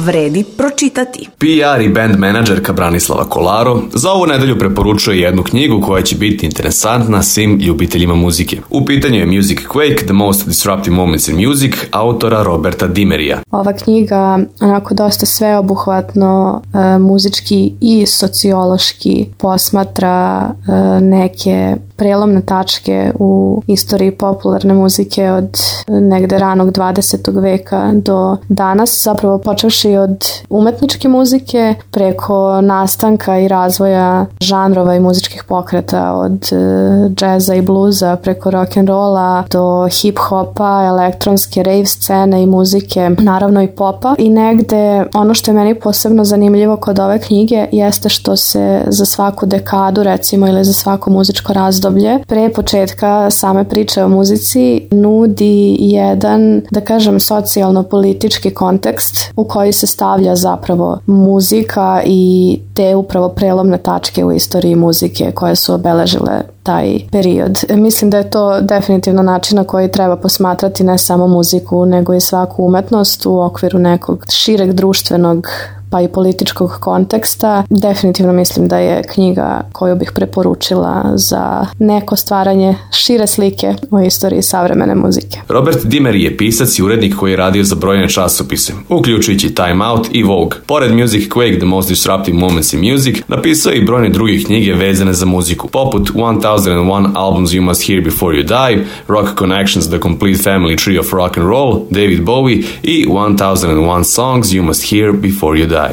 vredi pročitati. PR i band menadžerka Branislava Kolaro za ovu nedelju preporučuje jednu knjigu koja će biti interesantna svim ljubiteljima muzike. U pitanju je Music Quake, The Most Disruptive Moments in Music, autora Roberta Dimerija. Ova knjiga onako dosta sveobuhvatno muzički i sociološki posmatra neke prelomne tačke u istoriji popularne muzike od negde ranog 20. veka do danas, zapravo počevši od umetničke muzike preko nastanka i razvoja žanrova i muzičkih pokreta, od džeza i bluza preko rock'n'rolla do hip-hopa, elektronske rave scene i muzike, naravno i popa. I negde ono što je meni posebno zanimljivo kod ove knjige jeste što se za svaku dekadu recimo ili za svako muzičko razdoblje pre početka same priče o muzici nudi jedan, da kažem, socijalno-politički kontekst u koji se stavlja zapravo muzika i te upravo prelomne tačke u istoriji muzike koje su obeležile taj period. Mislim da je to definitivno način na koji treba posmatrati ne samo muziku, nego i svaku umetnost u okviru nekog šireg društvenog pa i političkog konteksta. Definitivno mislim da je knjiga koju bih preporučila za neko stvaranje šire slike o istoriji savremene muzike. Robert Dimery je pisac i urednik koji je radio za brojne časopise, uključujući Time Out i Vogue. Pored Music Quake, The Most Disruptive Moments in Music, napisao je i brojne druge knjige vezane za muziku, poput 1001 Albums You Must Hear Before You Die, Rock Connections, The Complete Family Tree of Rock and Roll, David Bowie i 1001 Songs You Must Hear Before You Die.